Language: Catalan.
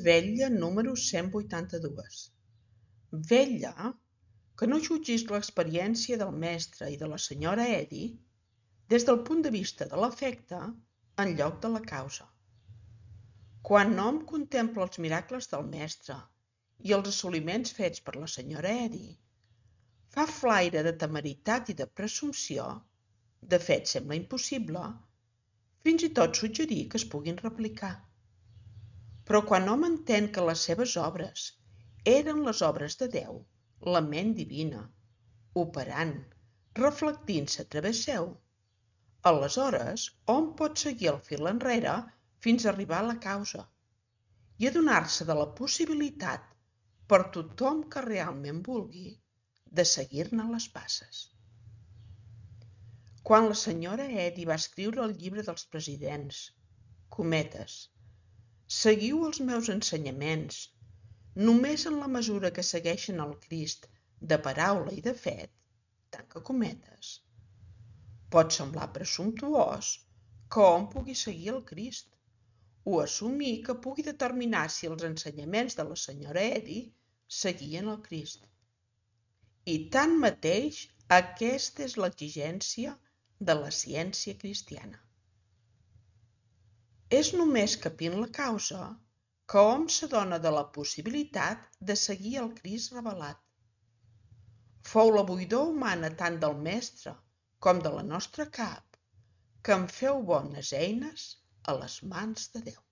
Vetlla número 182. Vetlla que no jutgis l'experiència del mestre i de la senyora Eddy des del punt de vista de l'efecte en lloc de la causa. Quan hom contempla els miracles del mestre i els assoliments fets per la senyora Eddy, fa flaire de temeritat i de presumpció, de fet sembla impossible, fins i tot suggerir que es puguin replicar. Però quan hom entén que les seves obres eren les obres de Déu, la ment divina, operant, reflectint-se a través seu, aleshores hom pot seguir el fil enrere fins a arribar a la causa i adonar-se de la possibilitat per tothom que realment vulgui de seguir-ne les passes. Quan la senyora Eddy va escriure el llibre dels presidents, cometes, seguiu els meus ensenyaments, només en la mesura que segueixen el Crist de paraula i de fet, tanca cometes. Pot semblar presumptuós que hom pugui seguir el Crist o assumir que pugui determinar si els ensenyaments de la senyora Eddy seguien el Crist. I tanmateix, aquesta és l'exigència de la ciència cristiana. És només capint la causa que hom s'adona de la possibilitat de seguir el Crist revelat. Fou la buidor humana tant del mestre com de la nostra cap que en feu bones eines a les mans de Déu.